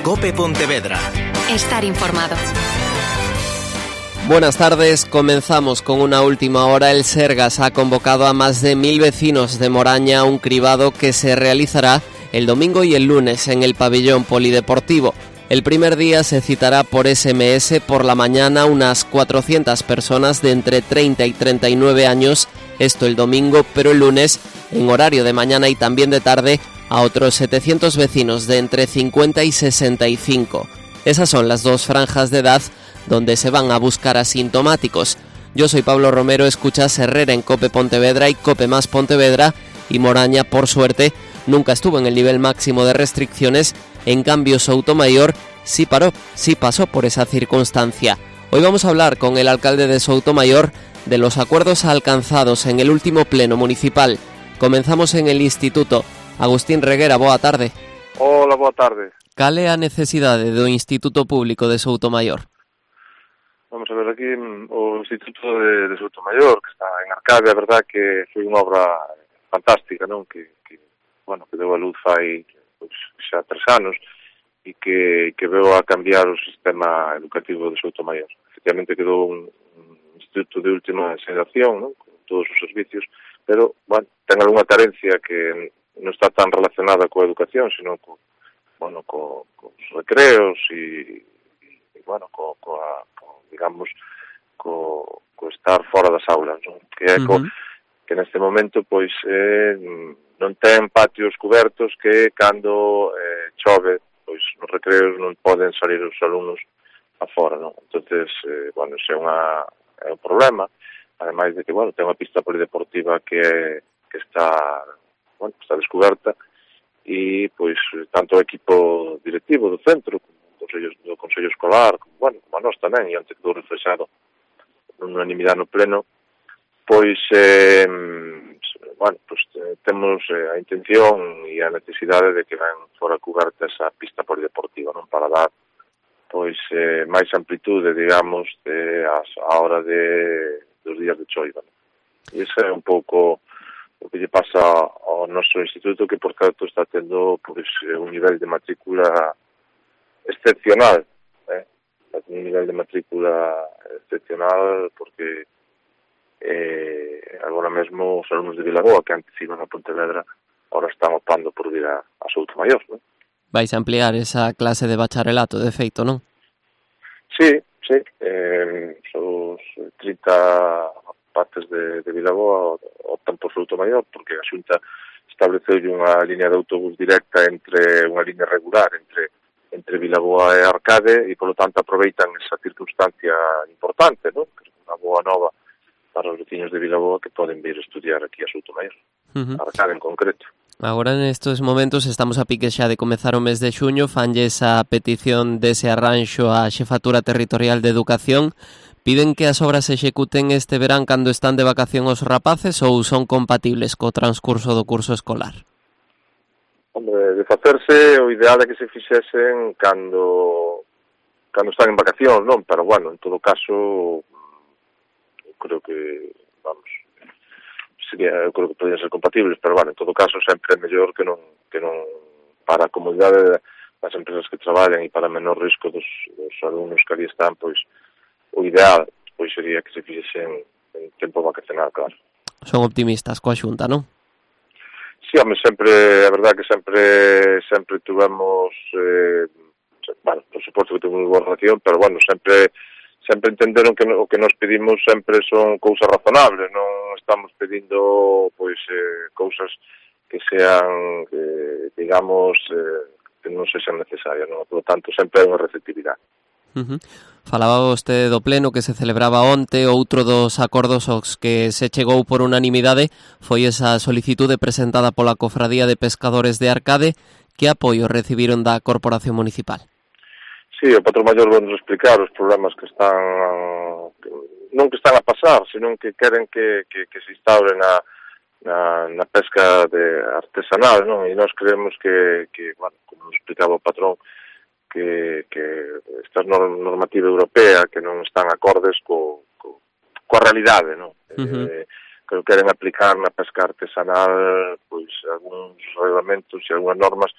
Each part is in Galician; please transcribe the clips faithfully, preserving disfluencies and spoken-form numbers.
COPE Pontevedra. Estar informado. Buenas tardes, comenzamos con una última hora. El Sergas ha convocado a más de mil vecinos de Moraña a un cribado que se realizará el domingo y el lunes en el pabellón polideportivo. El primer día se citará por ese eme ese por la mañana unas cuatrocientas personas de entre treinta y treinta y nueve años, esto el domingo, pero el lunes, en horario de mañana y también de tarde, a otros setecientos vecinos de entre cincuenta y sesenta y cinco. Esas son las dos franjas de edad donde se van a buscar asintomáticos. Yo soy Pablo Romero, escuchas Herrera en COPE Pontevedra y COPE más Pontevedra, y Moraña, por suerte, nunca estuvo en el nivel máximo de restricciones. En cambio, Soutomayor sí paró, sí pasó por esa circunstancia. Hoy vamos a hablar con el alcalde de Soutomayor de los acuerdos alcanzados en el último pleno municipal. Comenzamos en el instituto. Agustín Reguera, boa tarde. Hola, boa tarde. Cal é a necesidade do Instituto Público de Soutomayor? Vamos a ver aquí o Instituto de, de Soutomayor, que está en Arcade, a verdad que foi unha obra fantástica, non? Que, que bueno, que deu a luz fai pois, xa tres anos e que, que veo a cambiar o sistema educativo de Soutomayor. Efectivamente quedou un, un instituto de última xeración, non? Con todos os servicios, pero, bueno, ten algunha carencia que non está tan relacionada coa educación, sino co, bueno, co, cos recreos e, e bueno, co, coa, co, digamos, co, co estar fora das aulas, non? Que é co, uh-huh. que neste momento, pois, eh, non ten patios cobertos que cando eh, chove, pois, nos recreos non poden salir os alumnos afora, non? Entonces, eh, bueno, ese é, unha, é un problema, ademais de que, bueno, ten unha pista polideportiva que, é, que está, bueno, está descoberta, e, pois, tanto o equipo directivo do centro, como o Consello, do Consello Escolar, como, bueno, como a nós tamén, e antes quedou reflexado unanimidade no pleno, pois, eh, bueno, pois, temos eh, a intención e a necesidade de que ven fora coberta esa pista polideportiva, non? Para dar, pois, eh, máis amplitude, digamos, de, as, a hora de, dos días de choiva, non? E ese é un pouco o que lle pasa ao noso instituto, que, por certo, está tendo, pois, un nivel de matrícula excepcional, eh? un nivel de matrícula excepcional, porque eh, agora mesmo os alumnos de Vilaboa, que antes iban a Pontevedra, ahora están optando por vir a, a Soutomayor, non? Vais a ampliar esa clase de bacharelato, de feito, non? Sí, sí. Eh, os trinta partes de, de Vilaboa optan por Soutomayor, porque a Xunta estableceu unha línea de autobús directa entre unha línea regular entre entre Vilaboa e Arcade, e, polo tanto, aproveitan esa circunstancia importante, non? Que é unha boa nova para os veciños de Vilaboa que poden vir a estudiar aquí a Soutomayor, uh-huh. Arcade en concreto. Agora, nestes momentos, estamos a pique xa de comezar o mes de xuño, fanlle esa petición dese arranxo á Xefatura Territorial de Educación. Piden que as obras se executen este verán cando están de vacación os rapaces ou son compatibles co transcurso do curso escolar? Hombre, de facerse, o ideal é que se fixesen cando cando están en vacación, non? Pero, bueno, en todo caso, eu creo que, vamos, sería, eu creo que podían ser compatibles, pero, bueno, en todo caso, sempre é mellor que non, que non para a comodidade das empresas que traballan e para menor risco dos, dos alumnos que ali están, pois, o ideal, pois, sería que se fixesen en tempo vacacional, claro. Son optimistas coa Xunta, non? Sí, home, sempre, a verdad que sempre sempre tuvemos, eh, bueno, por suposto que tuvemos boa relación, pero, bueno, sempre sempre entenderon que o que nos pedimos sempre son cousas razonables, non estamos pedindo, pois, eh, cousas que sean, eh, digamos, eh, que non sexan necesarias, non? Por lo tanto, sempre hai unha receptividade. Uh-huh. Falaba vostede do pleno que se celebraba onte. Outro dos acordos aos que se chegou por unanimidade foi esa solicitude presentada pola Cofradía de Pescadores de Arcade. Que apoio recibiron da Corporación Municipal? Sí, o Patrón Maior vai nos explicar os problemas que están, non que están a pasar, senón que queren que, que, que se instaure na, na, na pesca de artesanal, non? E nós creemos que, que, bueno, como nos explicaba o patrón, que, que esta normativa europea que non están acordes co, co, coa realidade, non? Uh-huh. Eh, que queren aplicar na pesca artesanal pois algúns reglamentos e algunhas normas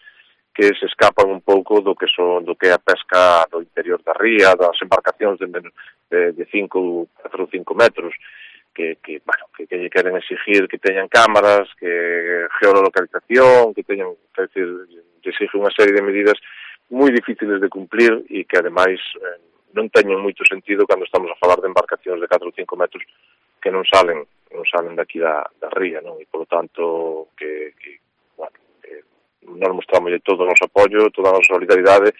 que se escapan un pouco do que son do que é a pesca do interior da ría, das embarcacións de, de, de cinco, catro ou cinco metros, que, que, bueno, que, que queren exigir que teñan cámaras, que geolocalización, que teñan, que decir, exige unha serie de medidas moi difíciles de cumplir e que, ademais, eh, non teñen moito sentido cando estamos a falar de embarcacións de catro ou cinco metros que non salen non salen daqui da, da ría, non? E, polo tanto, que, que bueno, que nos mostramos todo o noso apoio, toda a nosa solidaridade,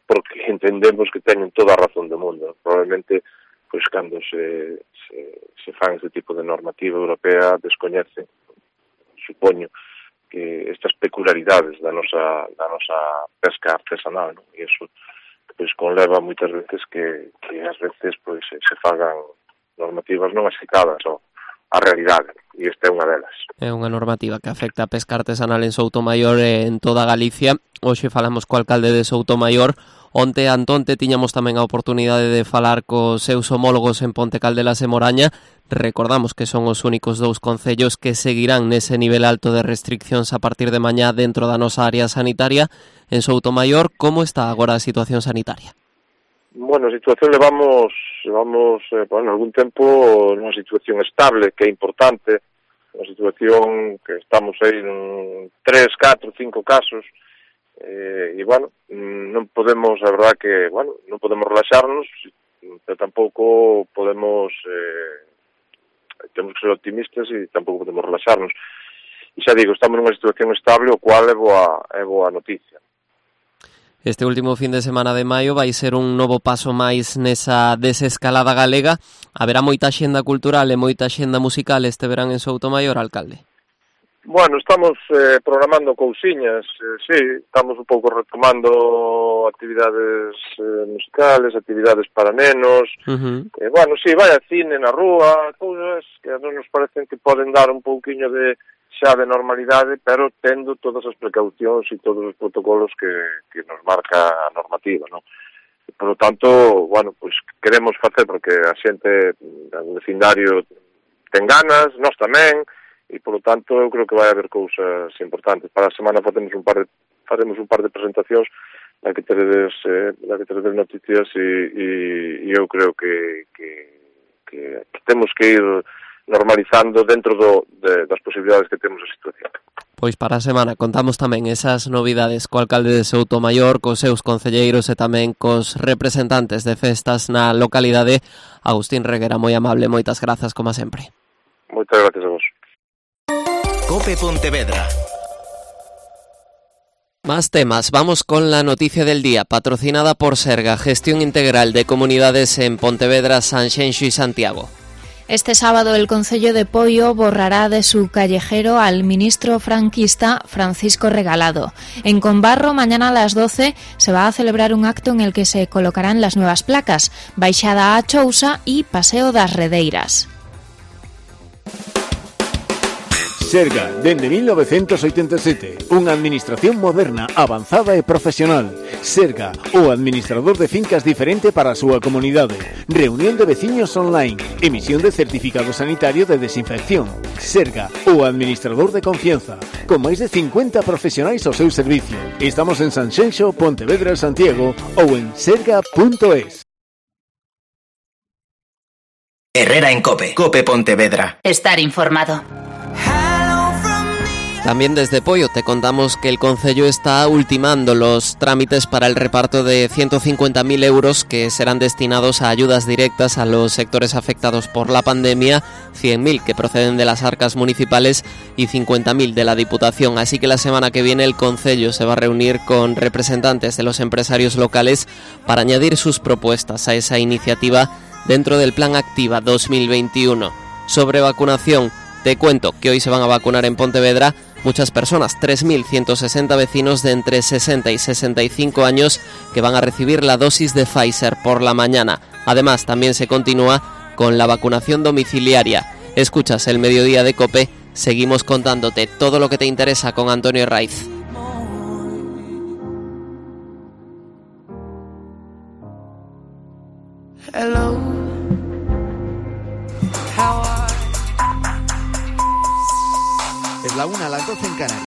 porque entendemos que teñen toda a razón do mundo. Probablemente, pois, cando se, se, se fan este tipo de normativa europea, descoñecen, supoño, que estas peculiaridades da nosa, da nosa pesca artesanal, non? E iso, pois, conleva moitas veces que, que ás veces, pois, se, se fagan normativas non axicadas ao a realidade, e esta é unha delas. É unha normativa que afecta a pesca artesanal en Soutomaior e en toda Galicia. Hoxe falamos co alcalde de Soutomaior. Onte, Antonte, tiñamos tamén a oportunidade de falar cos seus homólogos en Ponte Caldelas e Moraña. Recordamos que son os únicos dous concellos que seguirán nese nivel alto de restriccións a partir de mañá dentro da nosa área sanitaria. En Soutomaior, como está agora a situación sanitaria? Bueno, a situación levamos, levamos eh, bueno, algún tempo nunha situación estable, que é importante, unha situación que estamos aí en tres, catro, cinco casos, eh, e, bueno, non podemos, a verdad que, bueno, non podemos relaxarnos, pero tampouco podemos, eh, temos que ser optimistas e tampouco podemos relaxarnos. E xa digo, estamos nunha situación estable, o cual é boa, é boa noticia. Este último fin de semana de maio vai ser un novo paso máis nesa desescalada galega. Haberá moita xenda cultural e moita xenda musical este verán en Soutomaior, alcalde? Bueno, estamos eh, programando cousiñas, eh, sí, estamos un pouco retomando actividades eh, musicales, actividades para nenos, uh-huh. eh, bueno, sí, vai a cine na rúa, cousas que a nos parecen que poden dar un pouquiño de xa de normalidade, pero tendo todas as precaucións e todos os protocolos que, que nos marca a normativa, non? Por lo tanto, bueno, pois queremos facer porque a xente do vecindario ten ganas, nós tamén, e por lo tanto eu creo que vai haber cousas importantes. Para a semana facemos un par de, faremos un par de presentacións na que teredes, eh, na que teredes noticias e, e, e eu creo que, que, que temos que ir normalizando dentro do, de, das posibilidades que temos a situación. Pois para a semana contamos tamén esas novidades co alcalde de Soutomaior, cos seus concelleiros e tamén cos representantes de festas na localidade. Agustín Reguera, moi amable, moitas grazas como sempre. Moitas gracias a vos. Cope Pontevedra. Más temas, vamos con la noticia del día, patrocinada por Serga, Gestión Integral de Comunidades en Pontevedra, Sanxenxo y Santiago. Este sábado el Concello de Poio borrará de su callejero al ministro franquista Francisco Regalado. En Conbarro, mañana a las doce, se va a celebrar un acto en el que se colocarán las nuevas placas, Baixada a Chousa y Paseo das Redeiras. Serga, dende mil novecentos oitenta e sete, unha administración moderna, avanzada e profesional. Serga, o administrador de fincas diferente para a súa comunidade. Reunión de veciños online, emisión de certificado sanitario de desinfección. Serga, o administrador de confianza, con máis de cincuenta profesionais ao seu servicio. Estamos en Sanxenxo, Pontevedra, Santiago ou en serga punto es. Herrera en Cope, Cope Pontevedra. Estar informado. También desde Poio te contamos que el Concello está ultimando los trámites para el reparto de ciento cincuenta mil euros que serán destinados a ayudas directas a los sectores afectados por la pandemia, cien mil que proceden de las arcas municipales y cincuenta mil de la Diputación. Así que la semana que viene el Concello se va a reunir con representantes de los empresarios locales para añadir sus propuestas a esa iniciativa dentro del Plan Activa dos mil veintiuno. Sobre vacunación, te cuento que hoy se van a vacunar en Pontevedra muchas personas, tres mil ciento sesenta vecinos de entre sesenta y sesenta y cinco años que van a recibir la dosis de Pfizer por la mañana. Además, también se continúa con la vacunación domiciliaria. Escuchas el Mediodía de Cope, seguimos contándote todo lo que te interesa con Antonio Raiz. Hello.